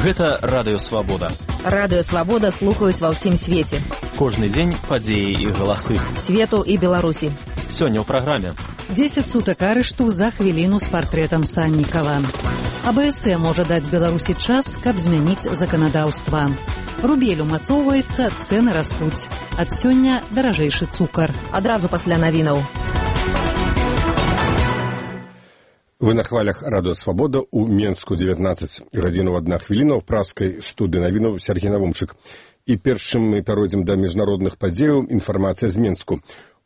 Гэта Радыё Свабода. Радыё Свабода слухаюць ва ўсім свеце. Кожны дзень падзеі і галасы. Свету і Беларусі. Сёння ў праграме. 10 сутак арышту за хвіліну з партрэтам Саннікава. АБС можа даць Беларусі час, каб змяніць заканадаўства. Рубель умацоўваецца, цэны растуць. Ад сёння даражэйшы цукар. Адразу пасля навінаў. Вы на хвалях Радыё Свабода у Менску 19 гадзінаў 1 хвіліна ў праскай студыі навінаў Сергей Навумчык. І першым мы пяройдзем да міжнародных падзеяў. Інфармацыя з Менску.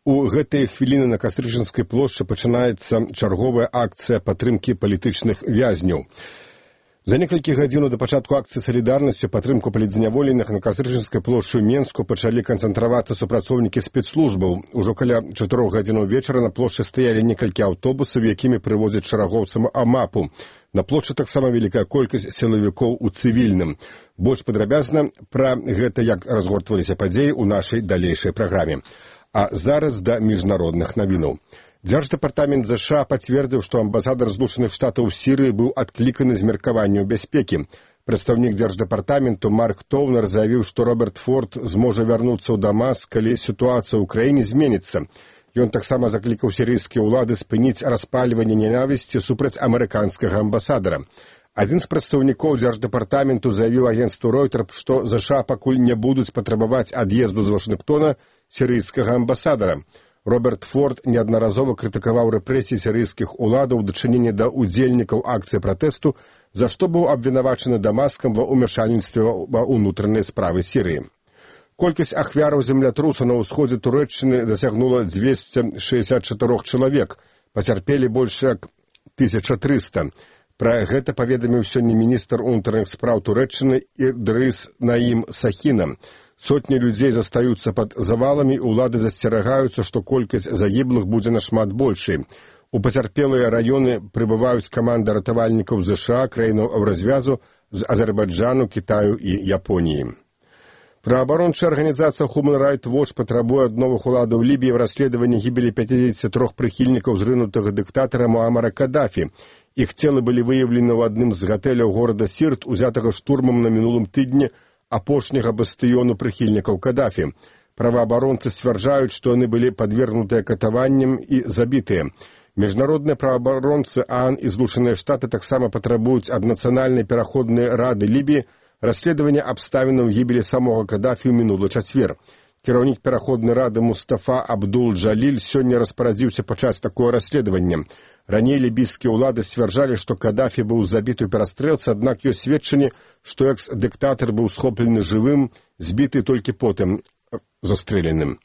У гэтыя хвіліны на Кастрычынскай плошчы пачынаецца чарговая акцыя падтрымкі палітычных вязняў. За некалькі гадзінаў да пачатку акцыі салідарнасці падтрымку палітзняволеных на Кастрычынскай плошчы ў Менску пачалі канцэнтравацца супрацоўнікі спецслужбаў. Ужо каля 4 гадзінаў вечара на плошчы стаялі некалькі аўтобусаў, якімі прывозяць шэрагоўцам АМАПу. На плошчы таксама вялікая колькасць сілавікоў у цывільным. Больш падрабязна пра гэта, як разгортваліся падзеі ў нашай далейшай праграме. А зараз да міжнародных навінаў. Дзярждэпартамент ЗША пацвердзіў, што амбасадар Злучаных Штатаў у Сірыі быў адкліканы з меркаванняў бяспекі. Прадстаўнік дзярждэпартаменту Марк Тоўнер заявіў, што Роберт Форд зможа вярнуцца ў Дамаск, калі сітуацыя ў краіне зменіцца. Ён таксама заклікаў сірыйскія ўлады спыніць распальванне ненавісці супраць амерыканскага амбасадара. Адзін з прадстаўнікоў дзярждэпартаменту заявіў агенцтву Ройтер, што ЗША пакуль не будуць патрабаваць ад'езду з Вашынгтона сірыйскага амбасадара. Роберт Форд неаднаразова крытыкаваў рэпрэсіі сірыйскіх уладаў у дачыненні да ўдзельнікаў акцыі пратэсту, за што быў абвінавачаны Дамаскам ва ўмяшальніцтве ва ўнутраныя справы Сірыі. Колькасць ахвяраў землятрусу на ўсходзе Турэччыны дасягнула 264 чалавек, пацярпелі больш як 1300. Пра гэта паведаміў сёння міністр унутраных спраў Турэччыны Ідрыс Наім Сахіна. Сотні людзей застаюцца пад заваламі, улады засцерагаюцца, што колькасць загіблых будзе нашмат большай. У пацярпелыя раёны прыбываюць каманды ратавальнікаў ЗША, краінаў Еўразвязу, з Азербайджану, Кітаю і Японіі. Праваабарончая арганізацыя Human Rights Watch патрабуе ад новых уладаў Лібіі в расследаванні гібелі 53 прыхільнікаў зрынутага дыктатара Муамара Кадафі. Іх целы былі выяўлены ў адным з гатэляў горада Сірт, узятага штурмам на мінулым тыдні апошняга бастыёну прыхільнікаў Кадафі. Праваабаронцы сцвярджаюць, што яны былі падвергнутыя катаванням і забітыя. Міжнародныя праваабаронцы ААН і Злучаныя Штаты таксама патрабуюць ад Нацыянальнай пераходнай рады Лібіі расследавання абставінаў гібелі самога Кадафі ў мінулы чацвер. Кіраўнік пераходнай рады Мустафа Абдул-Джаліль сёння распарадзіўся пачаць такое расследаванне. Раней лібійскія ўлады сцвярджалі, што Кадафі быў забіты ў перастрэлцы, аднак ёсць сведчанні, што экс-дыктатар быў схоплены жывым, збіты толькі потым застрэленым.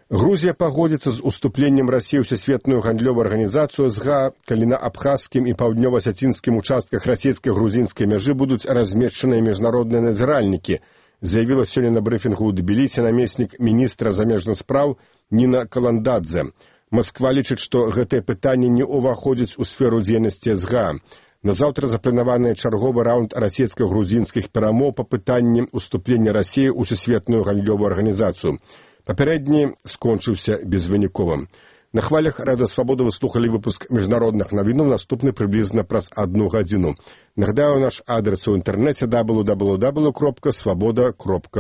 Грузія пагодзіцца з уступленнем Расіі ў Всесветную гандлёвую арганізацыю СГА, калі на абхазскім і паўднёва-асецінскім участках расійска-грузінскай мяжы будуць размешчаныя міжнародныя назіральнікі, заявіла сёння на брыфінгу ў Тбілісі намеснік міністра замежных спраў Ніна Каландадзе. Масква лічыць, што гэтае пытанне не ўваходзіць у сферу дзейнасці СГА. Назаўтра запланаваны чарговы раунд расійска-грузінскіх перамоў па пытанні уступлення Расіі ў Всесветную гандлёвую арганізацыю. Папярэдні скончыўся безвынікова. На хвалях Радыё Свабода вы слухалі выпуск міжнародных навінаў, наступны прыблізна праз 1 гадзіну. Нагадаю, наш адрес у інтэрнэце www.swaboda.org.